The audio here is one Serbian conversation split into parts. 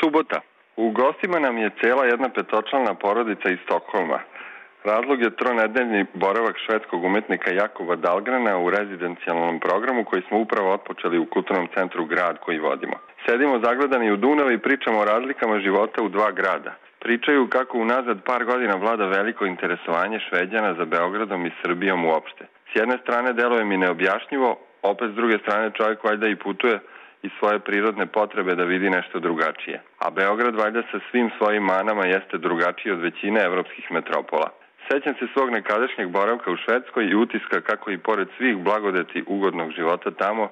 Subota. U gostima nam je cela jedna petočlana porodica iz Stokholma. Razlog je tronedeljni boravak švedskog umetnika Jakova Dahlgrena u rezidencijalnom programu koji smo upravo otpočeli u Kulturnom centru Grad koji vodimo. Sedimo zagledani u Dunavu i pričamo o razlikama života u dva grada. Pričaju kako unazad par godina vlada veliko interesovanje Šveđana za Beogradom i Srbijom uopšte. S jedne strane deluje mi neobjašnjivo, opet s druge strane čovjek valjda i putuje i svoje prirodne potrebe da vidi nešto drugačije. A Beograd valjda sa svim svojim manama jeste drugačiji od većine evropskih metropola. Sećam se svog nekadašnjeg boravka u Švedskoj i utiska kako i pored svih blagodeti ugodnog života tamo,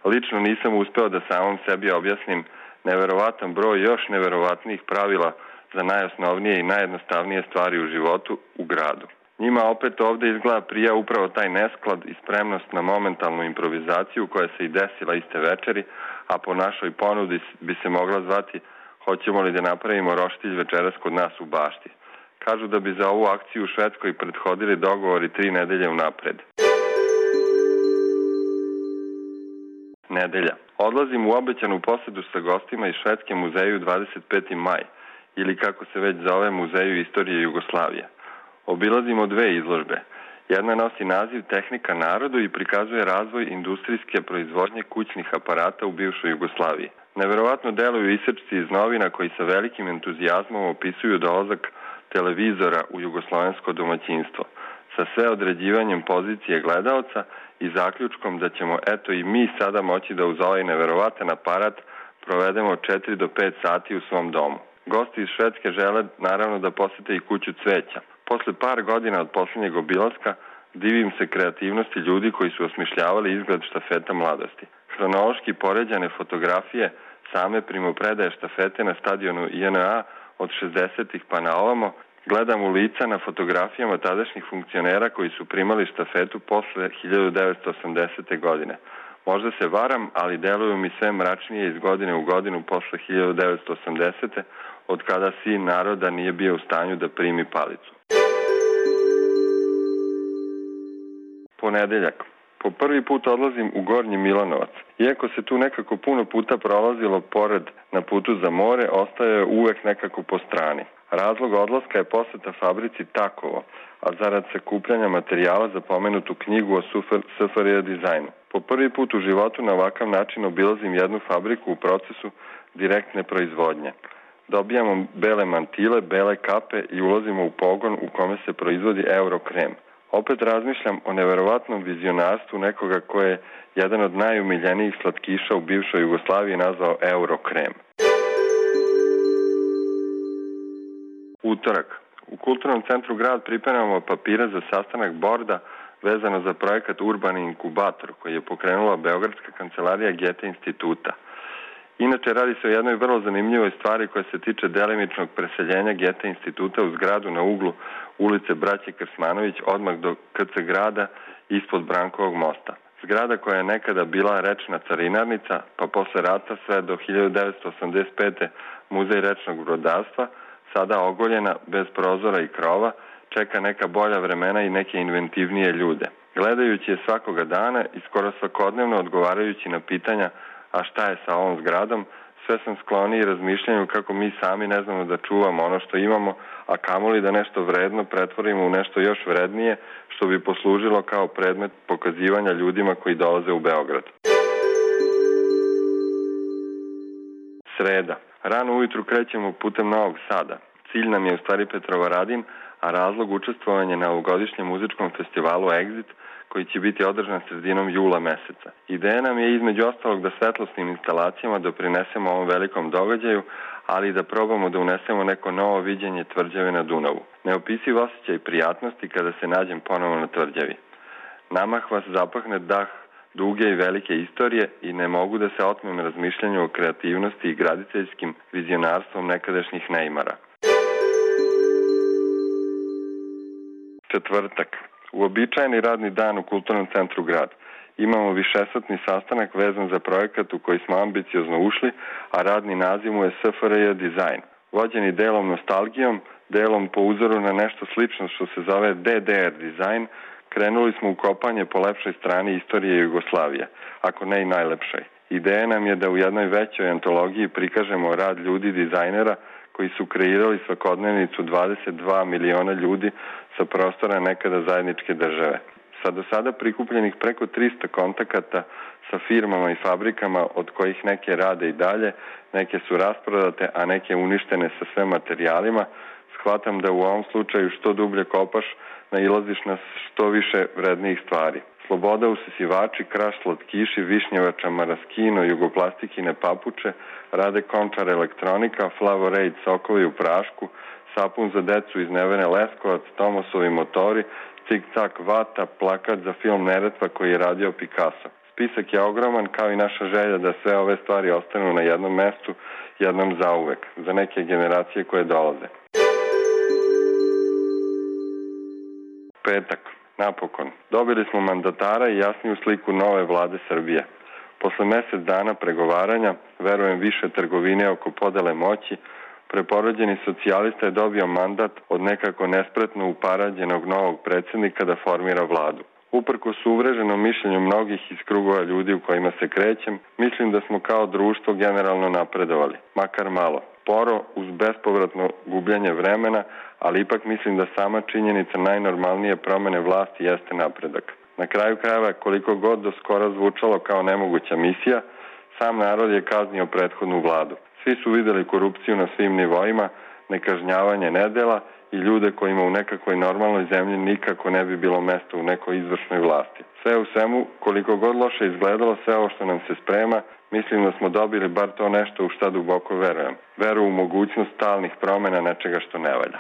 lično nisam uspeo da samom sebi objasnim neverovatan broj još neverovatnijih pravila za najosnovnije i najjednostavnije stvari u životu u gradu. Njima opet ovde izgleda prija upravo taj nesklad i spremnost na momentalnu improvizaciju koja se i desila iste večeri, a po našoj ponudi bi se mogla zvati hoćemo li da napravimo roštilj večeras kod nas u bašti. Kažu da bi za ovu akciju u Švedskoj prethodili dogovori 3 nedelje unapred. Nedelja. Odlazim u obećanu posedu sa gostima iz Švedske muzeju 25. maj, ili kako se već zove Muzeju istorije Jugoslavije. Obilazimo 2 izložbe. Jedna nosi naziv Tehnika narodu i prikazuje razvoj industrijske proizvodnje kućnih aparata u bivšoj Jugoslaviji. Neverovatno deluju isečci iz novina koji sa velikim entuzijazmom opisuju dolazak televizora u jugoslovensko domaćinstvo, sa sve određivanjem pozicije gledaoca i zaključkom da ćemo eto i mi sada moći da uz ovaj neverovatan aparat provedemo 4 do 5 sati u svom domu. Gosti iz Švedske žele naravno da posete i kuću cveća. Posle par godina od posljednjeg obilaska divim se kreativnosti ljudi koji su osmišljavali izgled štafeta mladosti. Hronološki poređane fotografije same primopredaje štafete na stadionu INA od 60-ih pa na ovamo, gledam u lica na fotografijama tadašnjih funkcionera koji su primali štafetu posle 1980. godine. Možda se varam, ali deluju mi sve mračnije iz godine u godinu posle 1980. od kada sin naroda nije bio u stanju da primi palicu. Ponedeljak. Po prvi put odlazim u Gornji Milanovac. Iako se tu nekako puno puta prolazilo pored na putu za more, ostaje uvek nekako po strani. Razlog odlaska je poseta fabrici Takovo, a zarad sakupljanja materijala za pomenutu knjigu o SFRJ dizajnu. Po prvi put u životu na ovakav način obilazim jednu fabriku u procesu direktne proizvodnje. Dobijamo bele mantile, bele kape i ulazimo u pogon u kome se proizvodi Eurokrem. Opet razmišljam o neverovatnom vizionarstvu nekoga koje je jedan od najumiljenijih slatkiša u bivšoj Jugoslaviji nazvao Eurokrem. Utorak. U Kulturnom centru Grad pripremamo papire za sastanak borda vezano za projekat Urbani inkubator koji je pokrenula Beogradska kancelarija Gete instituta. Inače, radi se o jednoj vrlo zanimljivoj stvari koja se tiče delimičnog preseljenja Gete instituta u zgradu na uglu ulice Braće Krsmanović odmah do KC Grada ispod Brankovog mosta. Zgrada koja je nekada bila rečna carinarnica, pa posle rata sve do 1985. muzej rečnog brodarstva, sada ogoljena, bez prozora i krova, čeka neka bolja vremena i neke inventivnije ljude. Gledajući je svakoga dana i skoro svakodnevno odgovarajući na pitanja a šta je sa ovom zgradom, sve sam skloniji razmišljanju kako mi sami ne znamo da čuvamo ono što imamo, a kamoli da nešto vredno pretvorimo u nešto još vrednije, što bi poslužilo kao predmet pokazivanja ljudima koji dolaze u Beograd. Sreda. Rano ujutru krećemo putem Novog Sada. Cilj nam je u stvari Petrovaradin, a razlog učestvovanja na ovogodišnjem muzičkom festivalu Exit, koji će biti održan sredinom jula meseca. Ideja nam je između ostalog da svetlosnim instalacijama doprinesemo ovom velikom događaju, ali i da probamo da unesemo neko novo viđenje tvrđave na Dunavu. Neopisiv osjećaj prijatnosti kada se nađem ponovo na tvrđavi. Namah vas zapahne dah duge i velike istorije i ne mogu da se otmem razmišljanju o kreativnosti i graditeljskim vizionarstvom nekadašnjih neimara. Četvrtak. Uobičajeni radni dan u Kulturnom centru Grad. Imamo višesatni sastanak vezan za projekat u koji smo ambiciozno ušli, a radni naziv mu je SFRJ dizajn. Vođeni delom nostalgijom, delom po uzoru na nešto slično što se zove DDR dizajn, krenuli smo u kopanje po lepšoj strani istorije Jugoslavije, ako ne i najlepšoj. Ideja nam je da u jednoj većoj antologiji prikažemo rad ljudi dizajnera koji su kreirali svakodnevnicu 22 miliona ljudi sa prostora nekada zajedničke države. Sa do sada prikupljenih preko 300 kontakata sa firmama i fabrikama, od kojih neke rade i dalje, neke su rasprodate, a neke uništene sa sve materijalima, shvatam da u ovom slučaju što dublje kopaš, nailaziš na što više vrednijih stvari. Sloboda usisivači, Kraš slatkiši, Višnjevača Maraskino, Jugoplastikine papuče, Rade Končar elektronika, Flavorade sokovi u prašku, sapun za decu iz Nevene Leskovac, Tomosovi motori, Cik-cak vata, plakat za film Neretva koji je radio Picasso. Spisak je ogroman, kao i naša želja da sve ove stvari ostanu na jednom mestu, jednom zauvek, za neke generacije koje dolaze. Petak. Napokon. Dobili smo mandatara i jasniju sliku nove vlade Srbije. Posle mesec dana pregovaranja, verujem više trgovine oko podele moći, preporođeni socijalista je dobio mandat od nekako nespretno uparađenog novog predsednika da formira vladu. Uprkos uvreženom mišljenju mnogih iz krugova ljudi u kojima se krećem, mislim da smo kao društvo generalno napredovali, makar malo. Sporo, uz bespovratno gubljenje vremena, ali ipak mislim da sama činjenica najnormalnije promene vlasti jeste napredak. Na kraju krajeva, koliko god do skora zvučalo kao nemoguća misija, sam narod je kaznio prethodnu vladu. Svi su videli korupciju na svim nivoima, nekažnjavanje nedela i ljude kojima u nekakvoj normalnoj zemlji nikako ne bi bilo mesta u nekoj izvršnoj vlasti. Sve u svemu, koliko god loše izgledalo sve ovo što nam se sprema, mislim da smo dobili bar to nešto u šta duboko verujem. Veru u mogućnost stalnih promena nečega što ne valja.